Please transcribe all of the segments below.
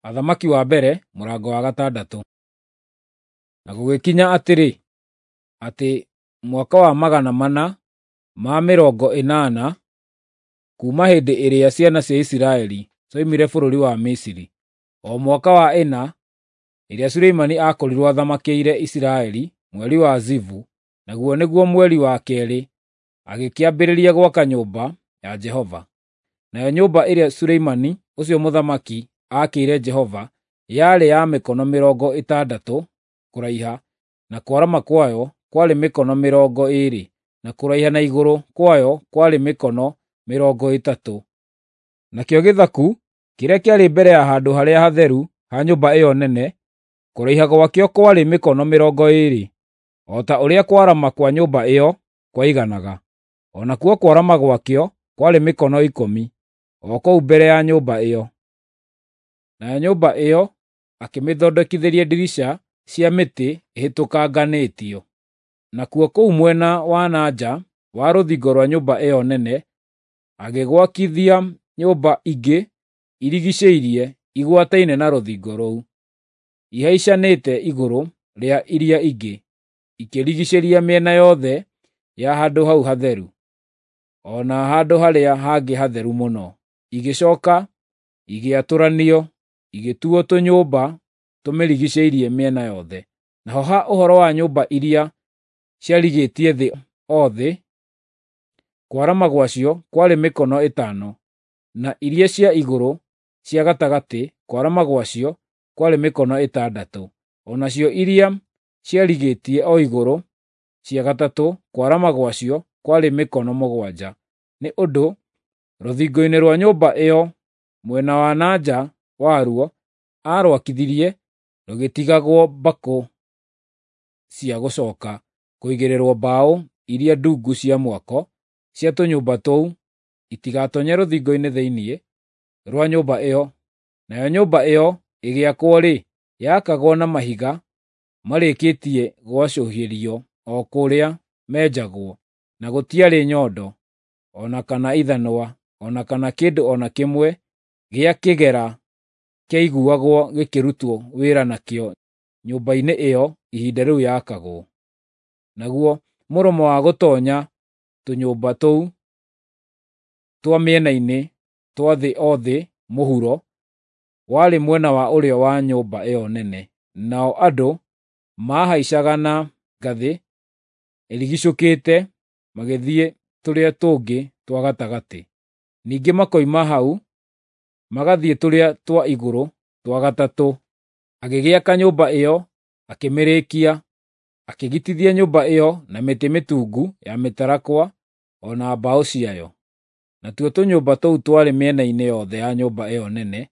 Athamaki wa mbere mũrango wa gatandatũ. Na gũgĩkinya atĩrĩ, atĩ mwaka wa 480 kuuma hĩndĩ ĩrĩa ciana cia Isiraeli cioimire bũrũri wa Misiri, o mwaka wa ĩna ĩrĩa Suleimani aakorirwo athamakĩire Isiraeli, mweri wa Zivu, naguo nĩguo mweri wa keerĩ, agĩkĩambĩrĩria gwaka nyũmba ya Jehova. Nayo nyũmba ĩrĩa Suleimani ũcio mũthamaki aakĩire Jehova yarĩ ya mĩkono 60 kũraiha, na kwarama kwayo kwarĩ mĩkono 20, na kũraiha na igũrũ kwayo kwarĩ mĩkono 30. Nakĩo gĩthaku kĩrĩa kĩarĩ mbere ya handũ harĩa hatheru ha nyũmba ĩyo nene, kũraiha gwakĩo kwarĩ mĩkono 20, o ta ũrĩa kwarama kwa nyũmba ĩyo kwaiganaga. O nakuo kwarama gwakĩo kwarĩ mĩkono 10, o kũu mbere ya nyũmba ĩyo. Nayo nyũmba ĩyo akĩmĩthondekithĩria ndirica cia mĩtĩ ĩhĩtũkanganĩtio. Nakuo kũu mwena wa na nja wa rũthingo rwa nyũmba ĩyo nene agĩgwakithia nyũmba ingĩ irigiicĩirie igwataine na rũthingo rũu, ihaicanĩte igũrũ rĩa iria ingĩ, ikĩrigiicĩria mĩena yothe ya handũ hau hatheru, o na handũ harĩa hangĩ hatheru mũno. Igĩcooka igĩatũranio, igĩtuo tũnyũmba tũmĩrigiicĩirie mĩena yothe. Naho ha ũhoro wa nyũmba iria ciarigĩtie thĩ o thĩ, kwarama gwacio kwarĩ mĩkono 5, na iria cia igũrũ cia gatagatĩ kwarama gwacio kwarĩ mĩkono 6, o nacio iria ciarigĩtie o igũrũ cia gatatũ kwarama gwacio kwarĩ mĩkono 7. Nĩ ũndũ rũthingo-inĩ rwa nyũmba ĩyo mwena wa na nja waruo aarwakithirie rũgĩtigagwo mbakũ cia gũcooka kũigĩrĩrwo mbaũ iria ndungu cia mwako cia tũnyũmba tũu itigatoonye rũthingo-inĩ thĩinĩ rwa nyũmba ĩyo. Nayo nyũmba ĩyo ĩgĩakwo-rĩ, yaakagwo na mahiga marĩkĩtie gwacũhĩrio o kũrĩa menjagwo, na gũtiarĩ nyondo, o na kana ithanwa, o na kana kĩndũ o na kĩmwe gĩa kĩgera kĩaiguagwo gĩkĩrutwo wĩra nakĩo nyũmba-inĩ ĩyo ihinda rĩu yaakagwo. Naguo mũromo wa gũtoonya tũnyũmba tũu twa mĩena-inĩ twa thĩ o thĩ mũhuro warĩ mwena wa ũrĩo wa nyũmba ĩyo nene, nao andũ maahaicaga na ngathĩ ĩrigiicũkĩte magĩthiĩ tũrĩa tũngĩ twa gatagatĩ. Ningĩ makoima hau magathiĩ tũrĩa twa igũrũ twa gatatũ. Agĩgĩaka nyũmba ĩyo akĩmĩrĩkia, akĩgitithia nyũmba ĩyo na mĩtĩ mĩtungu ya mĩtarakwa o na mbaũ ciayo. Natuo tũnyũmba tũu twarĩ mĩena-inĩ yothe ya nyũmba ĩyo nene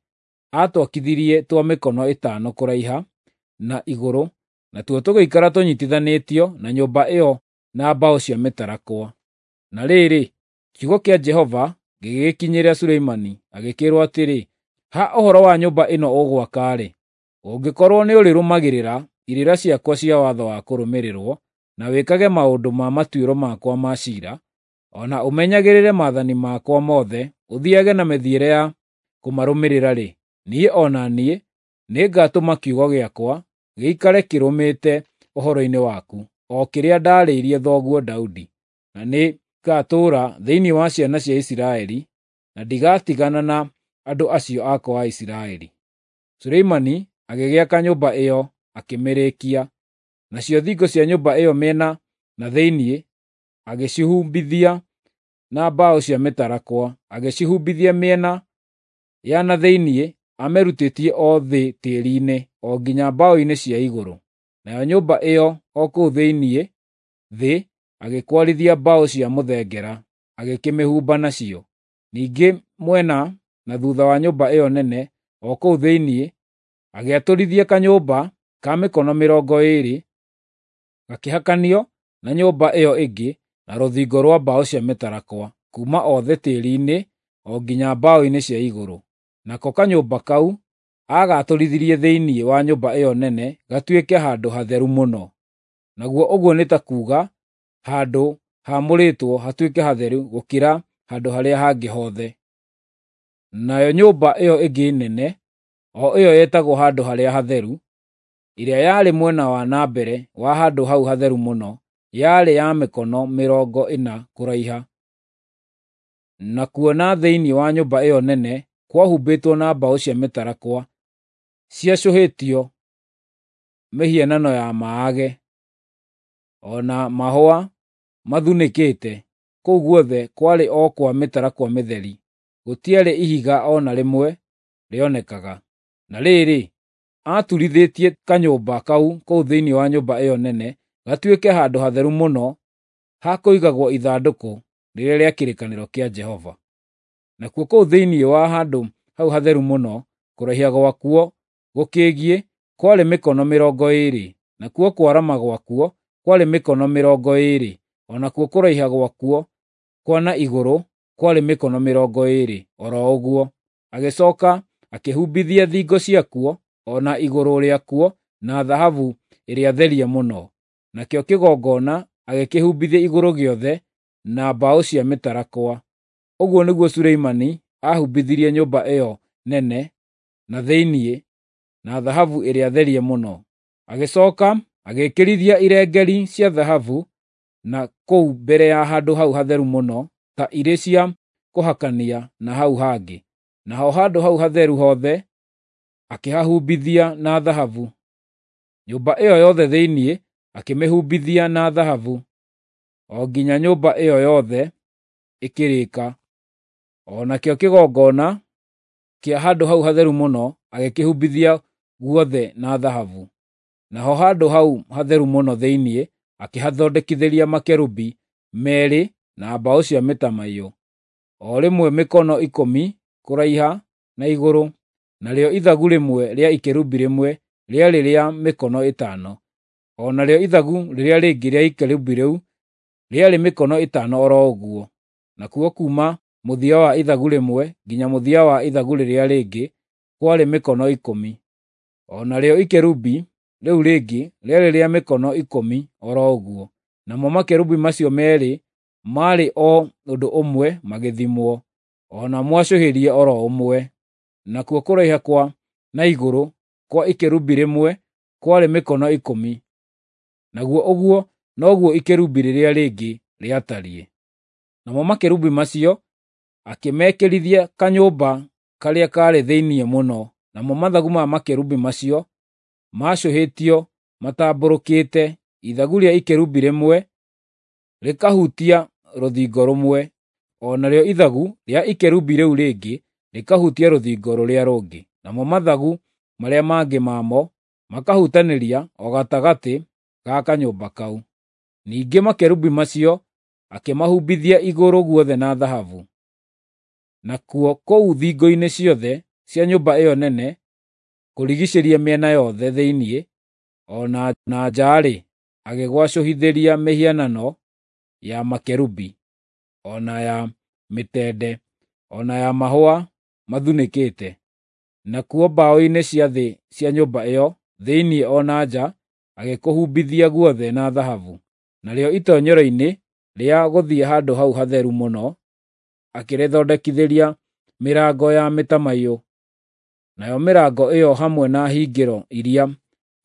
aatwakithirie twa mĩkono 5 kũraiha na igũrũ, natuo tũgĩikara tũnyiitithanĩtio na nyũmba ĩyo na mbaũ cia mĩtarakwa. Na rĩrĩ, kiugo kĩa Jehova gĩgĩkinyĩra Suleimani, agĩkĩĩrwo atĩrĩ, “Ha ũhoro wa nyũmba ĩno ũgwaka-rĩ, ũngĩkorwo nĩũrĩrũmagĩrĩra irĩra ciakwa cia watho wa kũrũmĩrĩrwo, na wĩkage maũndũ ma matuĩro makwa ma ciira, o na ũmenyagĩrĩre maathani makwa mothe, ũthiiage na mĩthiĩre ya kũmarũmĩrĩra-rĩ, niĩ o na niĩ nĩngatũma kiugo gĩakwa gĩikare kĩrũmĩte ũhoro-inĩ waku, o kĩrĩa ndaarĩirie thoguo Daudi, na nĩngatũũra thĩinĩ wa ciana cia Isiraeli, na ndigatigana na andũ acio akwa a Isiraeli.” Suleimani agĩgĩaka nyũmba ĩyo akĩmĩrĩkia. Nacio thingo cia nyũmba ĩyo mĩena na thĩinĩ agĩcihumbithia na mbaũ cia mĩtarakwa, agĩcihumbithia mĩena ya na thĩinĩ amĩrutĩtie o thĩ tĩĩri-inĩ, o nginya mbaũ-inĩ cia igũrũ. Nayo nyũmba ĩyo o kũu thĩinĩ thĩ agĩkwarithia mbaũ cia mũthengera, agĩkĩmĩhumba nacio. Ningĩ mwena na thuutha wa nyũmba ĩyo nene, o kũu thĩinĩ, agĩatũrithia kanyũmba ka mĩkono 20, gakĩhakanio na nyũmba ĩyo ĩngĩ na rũthingo rwa mbaũ cia mĩtarakwa, kuuma o thĩ tĩĩri-inĩ o nginya mbaũ-inĩ cia igũrũ. Nako kanyũmba kau aagaatũrithirie thĩinĩ wa nyũmba ĩyo nene gatuĩke handũ hatheru mũno. Naguo ũguo nĩ ta kuuga handũ haamũrĩtwo hatuĩke hatheru gũkĩra handũ harĩa hangĩ hothe. Nayo nyũmba ĩyo ĩngĩ nene o ĩyo yetagwo Handũ Harĩa Hatheru, ĩrĩa yarĩ mwena wa na mbere wa Handũ hau Hatheru Mũno, yarĩ ya mĩkono 40 kũraiha. Nakuo na thĩinĩ wa nyũmba ĩyo nene kwahumbĩtwo na mbaũ cia mĩtarakwa ciacũhĩtio mĩhianano ya maage, o na mahũa mathunĩkĩte. Kũu guothe kwarĩ o kwa mĩtarakwa mĩtheri, gũtiarĩ ihiga o na rĩmwe rĩonekaga. Na rĩrĩ, aaturithĩtie kanyũmba kau kũu thĩinĩ wa nyũmba ĩyo nene gatuĩke handũ hatheru mũno ha kũigagwo ithandũkũ rĩrĩa rĩa kĩrĩkanĩro kĩa Jehova. Nakuo kũu thĩinĩ wa handũ hau hatheru mũno, kũraiha gwakuo gũkĩgiĩ kwarĩ mĩkono 20, nakuo kwarama gwakuo kwarĩ mĩkono 20, o nakuo kũraiha gwakuo kwa na igũrũ kwarĩ mĩkono 20 o ro ũguo. Agĩcooka akĩhumbithia thingo ciakuo o na igũrũ rĩakuo na thahabu ĩrĩa therie mũno. Nakĩo kĩgongona agĩkĩhumbithia igũrũ gĩothe na mbaũ cia mĩtarakwa. Ũguo nĩguo Suleimani aahumbithirie nyũmba ĩyo nene na thĩinĩ na thahabu ĩrĩa therie mũno. Agĩcooka agĩĩkĩrithia irengeeri cia thahabu na kũu mbere ya Handũ hau Hatheru Mũno ta irĩ cia kũhakania na hau hangĩ. Naho handũ hau hatheru hothe akĩhahumbithia na thahabu. Nyũmba ĩyo yothe thĩinĩ akĩmĩhumbithia na thahabu, o nginya nyũmba ĩyo yothe ĩkĩrĩka. O nakĩo kĩgongona kĩa Handũ hau Hatheru Mũno agĩkĩhumbithia guothe na thahabu. Naho handũ hau hatheru mũno thĩinĩ akĩhathondekithĩria makerubi meerĩ na mbaũ cia mĩtamaiyũ, o rĩmwe mĩkono 10 kũraiha na igũrũ, narĩo ithagu rĩmwe rĩa ikerubi rĩmwe rĩarĩ rĩa mĩkono 5, o narĩo ithagu rĩrĩa rĩngĩ rĩa ikerubi rĩu rĩarĩ mĩkono 5 o ro ũguo. Nakuo kuuma mũthia wa ithagu rĩmwe nginya mũthia wa ithagu rĩrĩa rĩngĩ kwarĩ mĩkono 10. O narĩo ikerubi rĩu rĩngĩ rĩarĩ rĩa mĩkono 10 o ro ũguo. Namo makerubi macio meerĩ maarĩ o ũndũ ũmwe magĩthimwo, o na mwacũhĩrie o ro ũmwe. Nakuo kũraiha kwa na igũrũ kwa ikerubi rĩmwe kwarĩ mĩkono 10, naguo ũguo noguo ikerubi rĩrĩa rĩngĩ rĩatariĩ. Namo makerubi macio akĩmekĩrithia kanyũmba karĩa kaarĩ thĩinĩ mũno, namo mathagu ma makerubi macio maacũhĩtio matambũrũkĩte, ithagu rĩa ikerubi rĩmwe rĩkahutia rũthingo rũmwe, o narĩo ithagu rĩa ikerubi rĩu rĩngĩ rĩkahutia rũthingo rũrĩa rũngĩ, namo mathagu marĩa mangĩ mamo makahutanĩria o gatagatĩ ga kanyũmba kau. Ningĩ makerubi macio akĩmahumbithia igũrũ guothe na thahabu. Nakuo kũu thingo-inĩ ciothe cia nyũmba ĩyo nene kũrigiicĩria mĩena yothe thĩinĩ o na nja-rĩ, agĩgwacũhithĩria mĩhianano ya makerubi, o na ya mĩtende, o na ya mahũa mathunĩkĩte. Nakuo mbaũ-inĩ cia thĩ cia nyũmba ĩyo thĩinĩ o na nja agĩkũhumbithia guothe na thahabu. Narĩo itoonyero-inĩ rĩa gũthiĩ Handũ hau Hatheru Mũno akĩrĩthondekithĩria mĩrango ya mĩtamaiyũ, nayo mĩrango ĩyo hamwe na hingĩro iria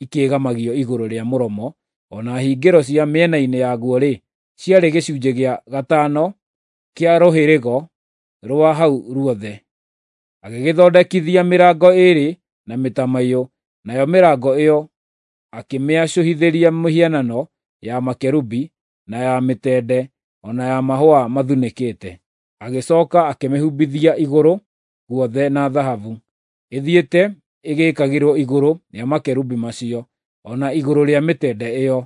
ikĩĩgamagio igũrũ rĩa mũromo, o na hingĩro cia mĩena-inĩ yaguo-rĩ, ciarĩ gĩcunjĩ gĩa gatano kĩa rũhĩrĩgo rwa hau ruothe. Agĩgĩthondekithia mĩrango ĩĩrĩ na mĩtamaiyũ, nayo mĩrango ĩyo akĩmĩacũhithĩria mĩhianano ya makerubi, na ya mĩtende, o na ya mahũa mathunĩkĩte. Agĩcooka akĩmĩhumbithia igũrũ guothe na thahabu, ĩthiĩte ĩgĩĩkagĩrwo igũrũ rĩa makerubi macio, o na igũrũ rĩa mĩtende ĩyo.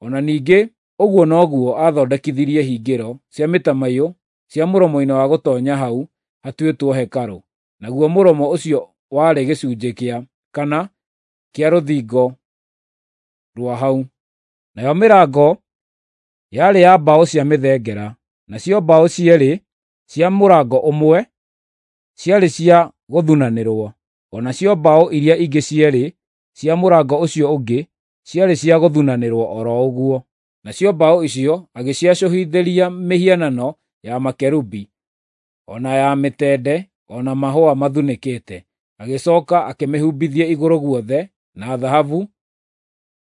O na ningĩ ũguo noguo aathondekithirie hingĩro cia mĩtamaiyũ cia mũromo-inĩ wa gũtoonya hau hatuĩtwo hekarũ, naguo mũromo ũcio warĩ gĩcunjĩ kĩa kana kĩa rũthingo rwa hau. Nayo mĩrango yarĩ ya mbaũ cia mĩthengera, nacio mbaũ cierĩ cia mũrango ũmwe ciarĩ cia gũthunanĩrwo, o nacio mbaũ iria ingĩ cierĩ cia mũrango ũcio ũngĩ ciarĩ cia gũthunanĩrwo o ro ũguo. Nacio mbaũ icio agĩciacũhithĩria mĩhianano ya makerubi, o na ya mĩtende, o na mahũa mathunĩkĩte. Agĩcooka akĩmĩhumbithia igũrũ guothe na thahabu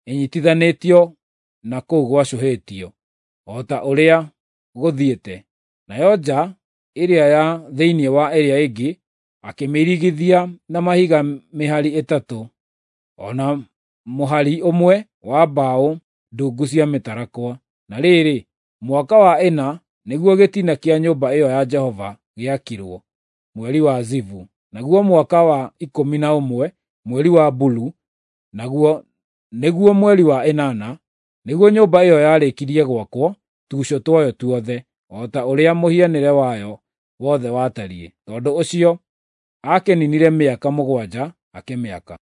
ĩnyiitithanĩtio na kũu gwacũhĩtio, o ta ũrĩa gũthiĩte. Nayo nja ĩrĩa ya thĩinĩ wa ĩrĩa ĩngĩ akĩmĩirigithia na mahiga mĩhari ĩtatũ, o na mũhari ũmwe wa mbaũ ndungu cia mĩtarakwa. Na rĩrĩ, mwaka wa ĩna nĩguo gĩtina kĩa nyũmba ĩyo ya Jehova gĩakirwo, mweri wa Zivu. Naguo mwaka wa 11, mweri wa Bulu, naguo nĩguo mweri wa ĩnana, nĩguo nyũmba ĩyo yarĩkirie gwakwo tuuco twayo tuothe, o ta ũrĩa mũhianĩre wayo wothe watariĩ. Tondũ ũcio aakĩninire mĩaka 7 akĩmĩaka.